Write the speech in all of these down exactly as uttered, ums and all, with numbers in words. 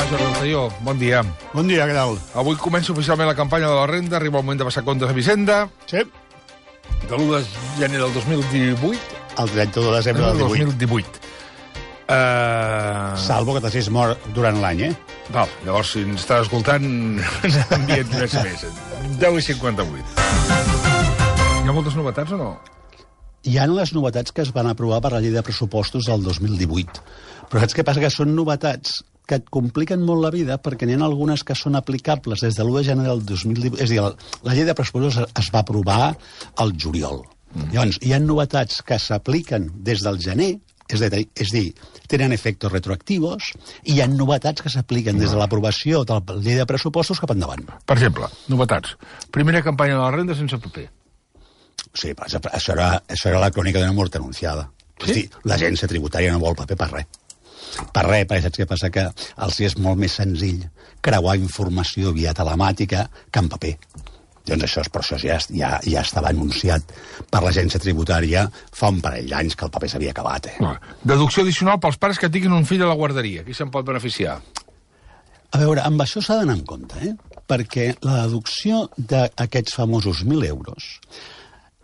Jordi Altaió, bon dia. Bon dia, què tal? Avui comença oficialment la campanya de la renda, arriba el moment de passar comptes a Hisenda. Sí. De l'u de gener del dos mil divuit. El trenta-u de desembre del dos mil divuit. divuit. Uh... Salvo que t'hagis mort durant l'any, eh? Val, llavors, si ens estàs escoltant, envia't un S M S. deu i cinquanta-vuit. Hi ha moltes novetats o no? Hi ha les novetats que es van aprovar per la llei de pressupostos del dos mil divuit. Però saps què passa? Que són novetats que et compliquen molt la vida perquè n'hi ha algunes que són aplicables des de l'u de gener del dos mil divuit. És a dir, la llei de pressupostos es va aprovar al juliol. Mm. Llavors, hi ha novetats que s'apliquen des del gener, és a dir, és dir, tenen efectes retroactius, i hi ha novetats que s'apliquen des de l'aprovació de la llei de pressupostos cap endavant. Per exemple, novetats. Primera campanya de la renda sense paper. Sí, però això era, això era la crònica d'una mort anunciada. Sí? És dir, l'agència tributària no vol paper per res. Per res, perquè saps què passa? Que els és molt més senzill creuar informació via telemàtica que en paper. Doncs això, per això ja, ja, ja estava anunciat per l'agència tributària fa un parell d'anys que el paper s'havia acabat. Eh? Deducció addicional pels pares que tinguin un fill a la guarderia. Qui se'n pot beneficiar? A veure, amb això s'ha d'anar en compte, eh? Perquè la deducció d'aquests famosos mil euros,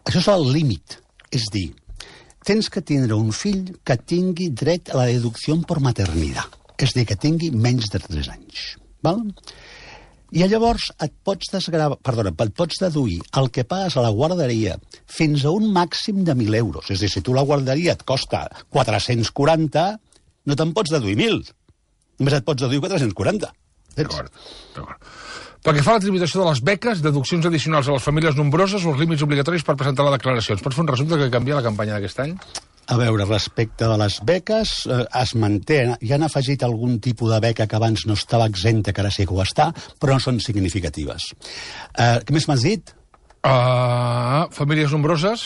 això és el límit. És dir, tens que tindre un fill que tingui dret a la deducció per maternitat. És dir, que tingui menys de tres anys. Val? I llavors et pots desgravar, perdona, et pots deduir el que pagues a la guarderia fins a un màxim de mil euros. És a dir, si tu la guarderia et costa quatre-cents quaranta, no te'n pots deduir mil. Només et pots deduir quatre-cents quaranta. D'acord, d'acord. Pel que fa a la tributació de les beques, deduccions addicionals a les famílies nombroses o els límits obligatoris per presentar la declaració. Ens pots fer un resum de què canvia la campanya d'aquest any? A veure, respecte de les beques, eh, es manté, hi han afegit algun tipus de beca que abans no estava exempta, que ara sí que ho està, però no són significatives. Eh, què més m'has dit? Uh, famílies nombroses?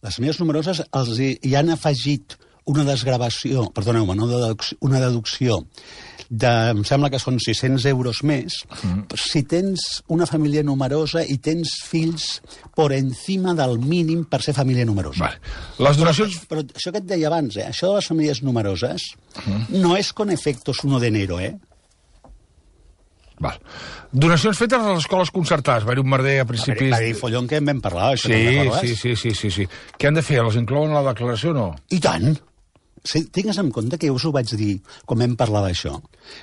Les famílies nombroses els hi, hi han afegit una desgravació, perdoneu-me, no, una deducció de, em sembla que són sis-cents euros més, mm. si tens una família numerosa i tens fills per encima del mínim per ser família numerosa. Vale. Les donacions... Però, però això que et deia abans, eh, això de les famílies numeroses, mm. no és con efectos uno de enero, eh? Val. Donacions fetes a les escoles concertades. Va haver un merder a principis... Va haver follon que en vam parlar, això sí, no sí, sí, sí, sí, sí. Què han de fer? Les inclouen a la declaració o no? I tant! Si tingues en compte que jo us ho vaig dir quan vam parlar d'això.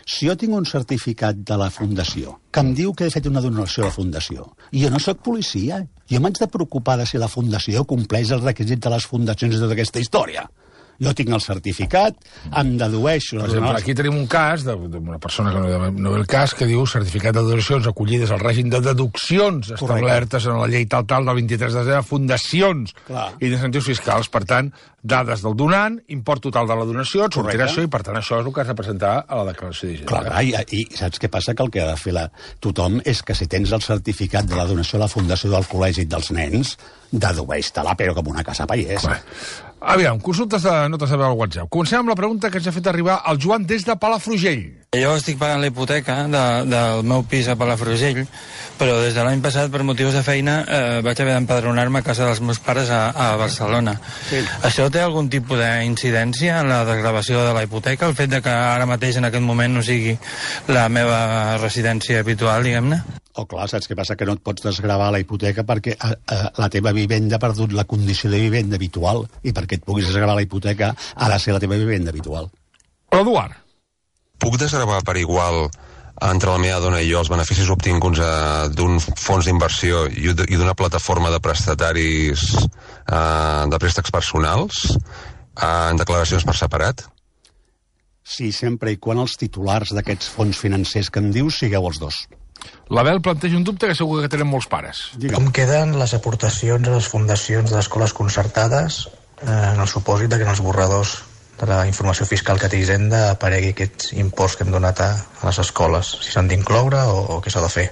Si jo tinc un certificat de la Fundació que em diu que he fet una donació a la Fundació, i jo no sóc policia, jo m'haig de preocupar de si la Fundació compleix els requisits de les fundacions i tota aquesta història. Jo tinc el certificat, em dedueixo... Per exemple, aquí tenim un cas d'una persona que no, no ve el cas, que diu certificat de donacions acollides al règim de deduccions establertes en la llei tal-tal del vint-i-tres de desembre, fundacions Clar. I d'incentius fiscals. Per tant, dades del donant, import total de la donació, et sortirà això, i per tant això és el que has de presentar a la declaració d'Hisenda. Clar, i, i saps què passa? Que el que ha de fer la, tothom és que si tens el certificat de la donació a la Fundació del Col·legi dels Nens, dedueix-te-la, però com una casa paiès. Clar. Aviam, consultes de notes de veu al WhatsApp. Comencem amb la pregunta que ens ha fet arribar el Joan des de Palafrugell. Jo estic pagant la hipoteca de, del meu pis a Palafrugell, però des de l'any passat, per motius de feina, eh, vaig haver d'empadronar-me a casa dels meus pares a, a Barcelona. Sí. Això té algun tipus d'incidència en la desgravació de la hipoteca, el fet de que ara mateix en aquest moment no sigui la meva residència habitual, diguem-ne? Oh, clar, saps què passa? Que no et pots desgravar la hipoteca perquè a, a, la teva vivenda ha perdut la condició de vivenda habitual, i perquè et puguis desgravar la hipoteca ha de ser la teva vivenda habitual. Eduard. Puc desgravar per igual entre la meva dona i jo els beneficis obtinguts eh, d'un fons d'inversió i d'una plataforma de prestataris eh, de préstecs personals eh, en declaracions per separat? Sí, sempre i quan els titulars d'aquests fons financers que em dius sigueu els dos. L'Abel planteja un dubte que segur que tenen molts pares. Digue'm. Com queden les aportacions a les fundacions d'escoles concertades eh, en el supòsit que en els borradors de la informació fiscal que té Hisenda aparegui aquests imports que hem donat a, a les escoles? Si s'han d'incloure o, o què s'ha de fer?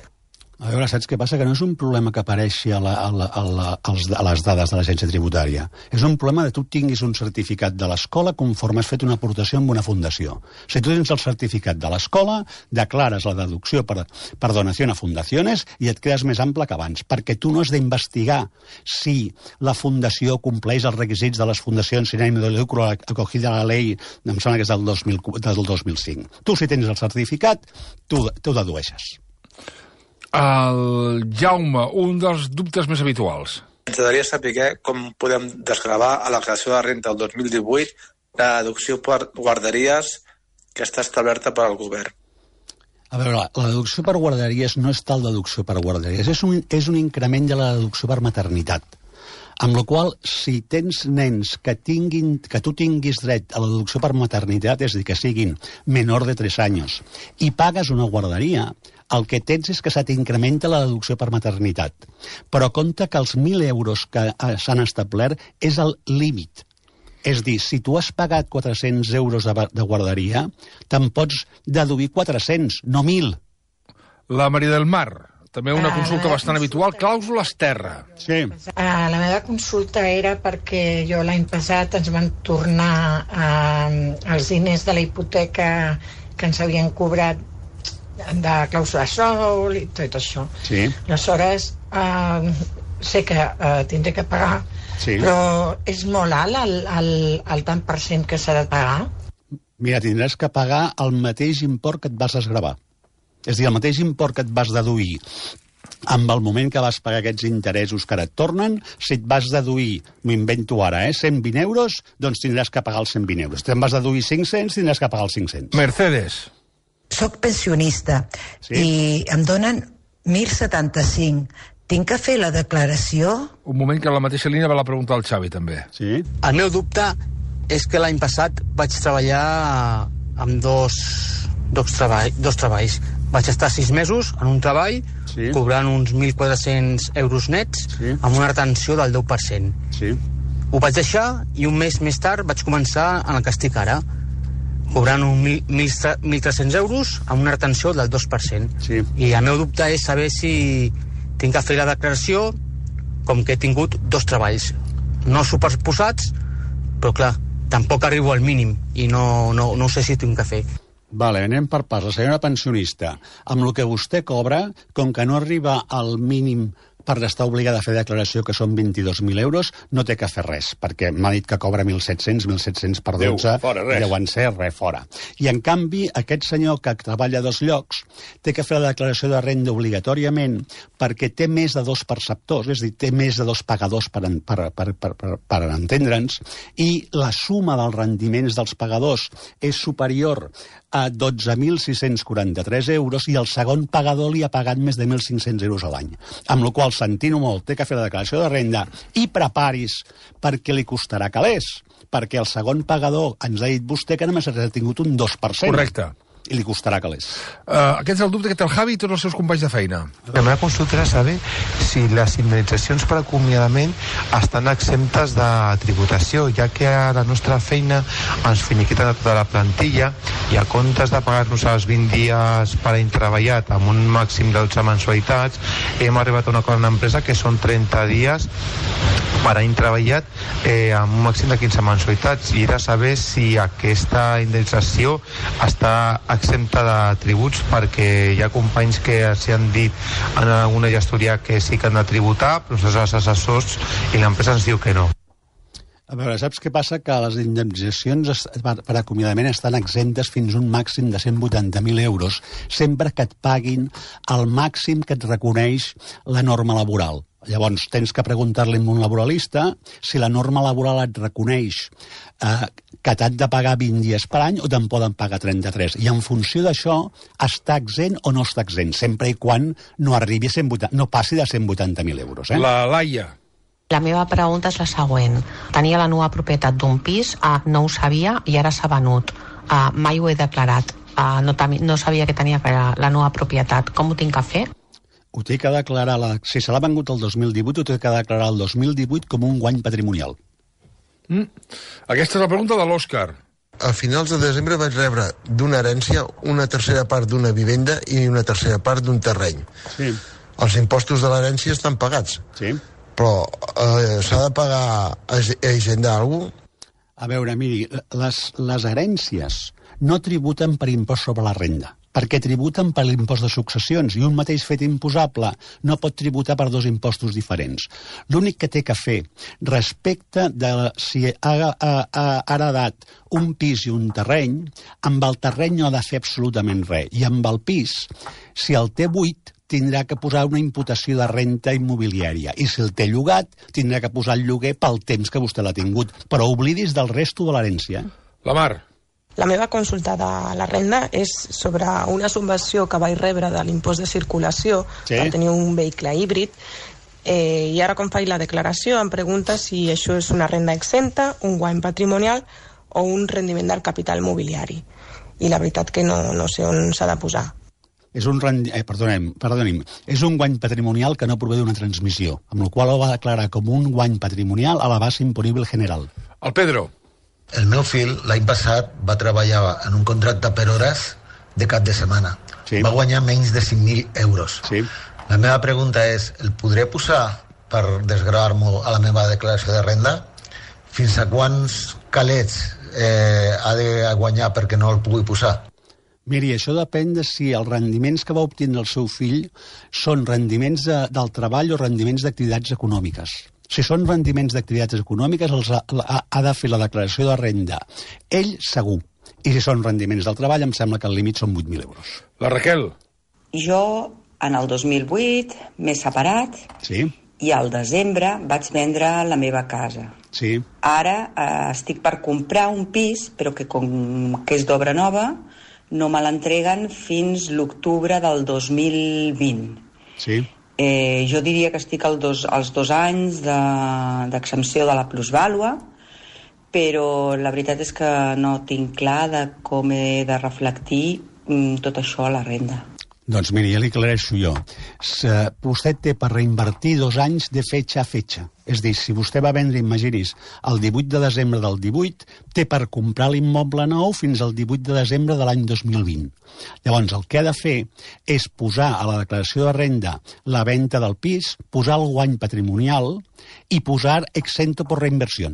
A veure, saps què passa? Que no és un problema que apareixi a, la, a, la, a, la, als, a les dades de l'agència tributària. És un problema de tu tinguis un certificat de l'escola conforme has fet una aportació amb una fundació. Si tu tens el certificat de l'escola, declares la deducció per, per donació a fundacions i et quedes més ample que abans, perquè tu no has d'investigar si la fundació compleix els requisits de les fundacions sin ánimo de lucro acogida a la llei, em sembla que és del dos mil, del dos mil cinc. Tu, si tens el certificat, tu, tu dedueixes. El Jaume, un dels dubtes més habituals. Ens agradaria saber com podem desgravar a la declaració de renta del dos mil divuit la deducció per guarderies que està establerta per al govern. A veure, la deducció per guarderies no és tal deducció per guarderies, és un, és un increment de la deducció per maternitat. Amb la qual cosa, si tens nens que, tinguin, que tu tinguis dret a la deducció per maternitat, és a dir, que siguin menor de tres anys, i pagues una guarderia, el que tens és que se t'incrementa la deducció per maternitat. Però compte que els mil euros que s'han establert és el límit. És a dir, si tu has pagat quatre-cents euros de, de guarderia, te'n pots deduir quatre-cents, no mil. La Maria del Mar, també una consulta uh, bastant habitual, clàusules terra. Sí. Uh, la meva consulta era perquè jo l'any passat ens van tornar uh, els diners de la hipoteca que ens havien cobrat de clàusula sol i tot això. Sí. Aleshores, uh, sé que uh, tindré que pagar, sí. Però és molt alt el, el, el tant per cent que s'ha de pagar? Mira, tindràs que pagar el mateix import que et vas desgravar. És a dir, el mateix import que et vas deduir amb el moment que vas pagar aquests interessos que ara et tornen, si et vas deduir, m'ho invento ara, eh, cent vint euros, doncs tindràs que pagar els cent vint euros. Si te'n vas deduir cinc-cents, tindràs que pagar els cinc-cents. Mercedes. Soc pensionista, sí, i em donen mil setanta-cinc. Tinc que fer la declaració? Un moment, que a la mateixa línia va la pregunta al Xavi, també. Sí. El meu dubte és que l'any passat vaig treballar amb dos, dos, treball, dos treballs. Vaig estar sis mesos en un treball, sí, cobrant uns mil quatre-cents euros nets, sí, amb una retenció del deu per cent. Sí. Ho vaig deixar i un mes més tard vaig començar en el que estic ara, cobrant uns mil tres-cents euros amb una retenció del dos per cent. Sí. I el meu dubte és saber si tinc que fer la declaració com que he tingut dos treballs. No superposats, però clar, tampoc arribo al mínim i no, no, no sé si tinc que fer. Vale, anem per parts. La senyora pensionista, amb el que vostè cobra, com que no arriba al mínim per estar obligada a fer declaració, que són vint-i-dos mil euros, no té que fer res, perquè m'ha dit que cobra mil set-cents, mil set-cents per dotze, Déu, fora, res. Deuen ser res, fora. I, en canvi, aquest senyor que treballa a dos llocs té que fer la declaració de renda obligatòriament perquè té més de dos perceptors, és a dir, té més de dos pagadors per, per, per, per, per, per entendre'ns, i la suma dels rendiments dels pagadors és superior a dotze mil sis-cents quaranta-tres euros i el segon pagador li ha pagat més de mil cinc-cents euros a l'any. Amb la qual, sentint-ho molt, té que fer la declaració de renda i preparis perquè li costarà calés, perquè el segon pagador ens ha dit vostè que només ha tingut un dos per cent. Correcte. I li costarà calés. Uh, aquest és el dubte que té el Javi i tots els seus companys de feina. La meva consulta era saber si les indemnitzacions per acomiadament estan exemptes de tributació, ja que a la nostra feina ens finiquiten tota la plantilla i a comptes de pagar-nos els vint dies per any treballat amb un màxim de dotze mensualitats, hem arribat a un acord amb l'empresa que són trenta dies per any treballat eh, amb un màxim de quinze mensualitats, i era saber si aquesta indemnització està exempta de tributs, perquè hi ha companys que s'hi han dit en alguna gestoria que sí que han de tributar, però nosaltres els assessors i l'empresa ens diu que no. A veure, saps què passa? Que les indemnitzacions per acomiadament estan exemptes fins a un màxim de cent vuitanta mil euros, sempre que et paguin el màxim que et reconeix la norma laboral. Llavors, tens que preguntar-li a un laboralista si la norma laboral et reconeix eh, que t'han de pagar vint dies per any o te'n poden pagar trenta-tres. I en funció d'això, està exempt o no està exempt, sempre i quan no arribi a cent vuitanta, no passi de cent vuitanta mil euros. Eh? La Laia. La meva pregunta és la següent. Tenia la nova propietat d'un pis, eh, no ho sabia i ara s'ha venut. Eh, mai ho he declarat. Eh, no, no sabia que tenia la nova propietat. Com ho tinc que fer? Ho té que declarar, la, si se l'ha vengut el dos mil divuit, ho té que declarar el dos mil divuit com un guany patrimonial. Mm. Aquesta és la pregunta de l'Òscar. A finals de desembre vaig rebre d'una herència una tercera part d'una vivenda i una tercera part d'un terreny. Sí. els impostos de l'herència estan pagats. Sí. Però eh, s'ha de pagar a Hisenda alguna cosa? A veure, miri, les, les herències no tributen per impost sobre la renda, perquè tributen per l'impost de successions, i un mateix fet imposable no pot tributar per dos impostos diferents. L'únic que té que fer respecte de si ha, ha, ha heredat un pis i un terreny, amb el terreny no ha de fer absolutament res, i amb el pis, si el té buit, tindrà que posar una imputació de renta immobiliària. I si el té llogat, tindrà que posar el lloguer pel temps que vostè l'ha tingut. Però oblidis del resto de l'herència. La Mar. La meva consulta de la renda és sobre una subvenció que vaig rebre de l'impost de circulació sí. per tenir un vehicle híbrid. Eh, I ara, quan faig la declaració, em pregunta si això és una renda exempta, un guany patrimonial o un rendiment del capital mobiliari. I la veritat que no, no sé on s'ha de posar. És un, rendi... eh, perdonem, perdonem, és un guany patrimonial que no prové d'una transmissió, amb la qual ho va declarar com un guany patrimonial a la base imponible general. El Pedro. El meu fill l'any passat va treballar en un contracte per hores de cap de setmana. Sí. Va guanyar menys de cinc mil euros. Sí. La meva pregunta és, el podré posar per desgravar-m'ho a la meva declaració de renda? Fins a quants calets eh, ha de guanyar perquè no el pugui posar? Miri, això depèn de si els rendiments que va obtenir el seu fill són rendiments de, del treball o rendiments d'activitats econòmiques. Si són rendiments d'activitats econòmiques, els ha, ha, ha de fer la declaració de renda. Ell, segur. I si són rendiments del treball, em sembla que el límit són vuit mil euros. La Raquel. Jo, en el dos mil vuit, m'he separat sí. i al desembre vaig vendre la meva casa. Sí. Ara eh, estic per comprar un pis, però que com que és d'obra nova, no me l'entreguen fins l'octubre del dos mil vint. Sí. Eh, jo diria que estic al dos, als dos anys d'exempció de, de la plusvàlua, però la veritat és que no tinc clar de com he de reflectir mm, tot això a la renda. Doncs miri, ja li aclareixo jo. Se, vostè té per reinvertir dos anys de fetge a fetge. És dir, si vostè va vendre, imaginis, el divuit de desembre del divuit, té per comprar l'immoble nou fins al divuit de desembre de l'any dos mil vint. Llavors, el que ha de fer és posar a la declaració de renda la venda del pis, posar el guany patrimonial i posar exento per reinversió.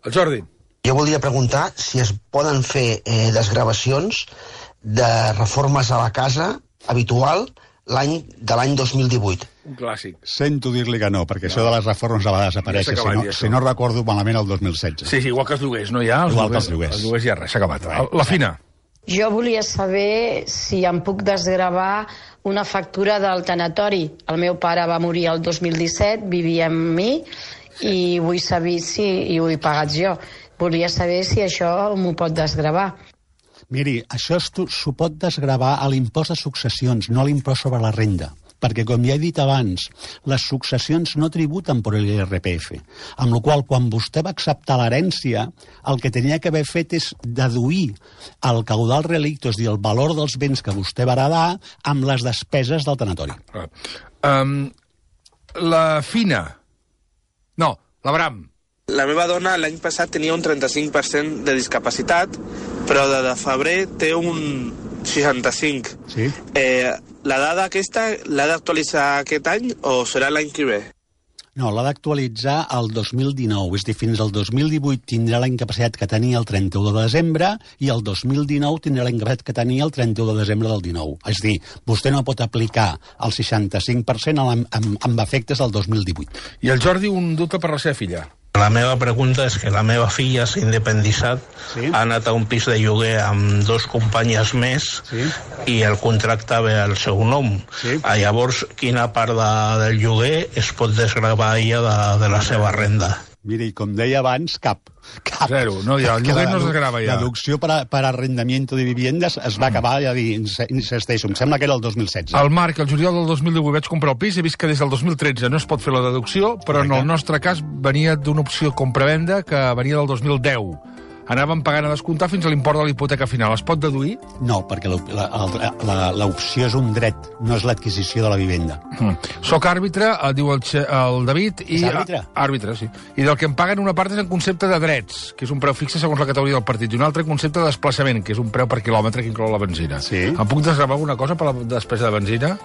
El Jordi. Jo volia preguntar si es poden fer eh, desgravacions de reformes a la casa habitual l'any de l'any dos mil divuit. Un clàssic. Sento dir-li que no, perquè no. Això de les reformes a vegades apareix, ja si, no, si no recordo malament el dos mil setze. Sí, sí, igual que els lloguers, no hi ha? Els igual lloguers, que els lloguers. Els lloguers ja res, s'ha acabat. La Fina. Jo volia saber si em puc desgravar una factura del tanatori. El meu pare va morir el dos mil disset, vivia amb mi, i vull saber si i ho he pagat jo. Volia saber si això m'ho pot desgravar. Miri, això s'ho pot desgravar a l'impost de successions, no a l'impost sobre la renda. Perquè, com ja he dit abans, les successions no tributen per l'I R P F. Amb la qual cosa, quan vostè va acceptar l'herència, el que tenia que haver fet és deduir el caudal relicto, és a dir, el valor dels béns que vostè va heredar, amb les despeses del tanatori. Um, la Fina. No, l'Abram. La meva dona l'any passat tenia un trenta-cinc per cent de discapacitat, però de, de febrer té un seixanta-cinc. Sí. Eh, la dada aquesta l'ha d'actualitzar aquest any o serà l'any que ve? No, l'ha d'actualitzar el dos mil dinou. És dir, fins al dos mil divuit tindrà la incapacitat que tenia el trenta-u de desembre i el dos mil dinou tindrà la incapacitat que tenia el trenta-u de desembre del dinou. És dir, vostè no pot aplicar el seixanta-cinc per cent amb, amb, amb efectes del dos mil divuit. I el Jordi, un dubte per la seva filla. La meva pregunta és que la meva filla s'ha independitzat, sí? Ha anat a un pis de lloguer amb dos companyes més, sí? I el contracte ve al seu nom. Sí? Llavors, quina part de, del lloguer es pot desgravar ella de, de la seva renda? Miri, com deia abans, cap. cap. Zero, no, ja, el lloguer no es desgrava ja. La deducció per, a, per arrendamiento de viviendes es va acabar, ja dir, insisteixo, em sembla que era el dos mil setze. El Marc, el juliol del dos mil divuit vaig comprar el pis, he vist que des del dos mil tretze no es pot fer la deducció, però en el nostre cas venia d'una opció compra-venda que venia del dos mil deu. Anàvem pagant a descomptar fins a l'import de la hipoteca final. Es pot deduir? No, perquè l'opció és un dret, no és l'adquisició de la vivenda. Mm. Soc àrbitre, diu el, el David. I, és àrbitre? Àrbitre, sí. I del que em paguen una part és en concepte de drets, que és un preu fixe segons la categoria del partit, i un altre concepte de desplaçament, que és un preu per quilòmetre que inclou la benzina. Sí. Em puc desgravar alguna cosa per la despesa de benzina?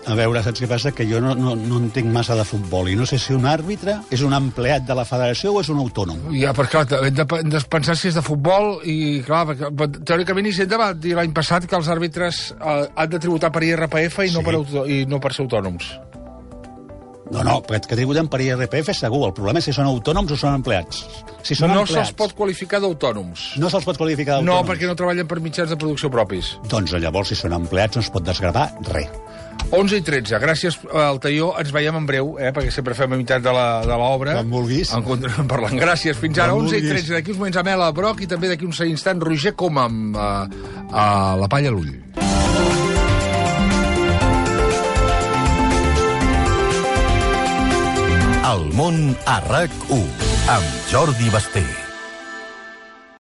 A veure, saps què passa? Que jo no, no, no entenc massa de futbol i no sé si un àrbitre és un empleat de la federació o és un autònom. Ja, però clar, hem de, hem de pensar si és de futbol i, clar, perquè, teòricament Hisenda va dir l'any passat que els àrbitres eh, han de tributar per I R P F i, sí. no per auto, i no per ser autònoms. No, no, que tributen per I R P F segur. El problema és si són autònoms o són empleats. Si són no empleats, se'ls pot qualificar d'autònoms. No se'ls pot qualificar d'autònoms? No, perquè no treballen per mitjans de producció propis. Doncs llavors, si són empleats, no es pot desgravar res. onze i tretze. Gràcies, Altaió. Ens veiem en breu, eh, perquè sempre fem a meitat de l'obra. Quan vulguis. En continuem parlant. Gràcies. Fins ara, onze i tretze. D'aquí uns moments Amela Broc i també d'aquí uns instants Roger Coma amb uh, uh, la palla a l'ull. El món a RAC u amb Jordi Basté.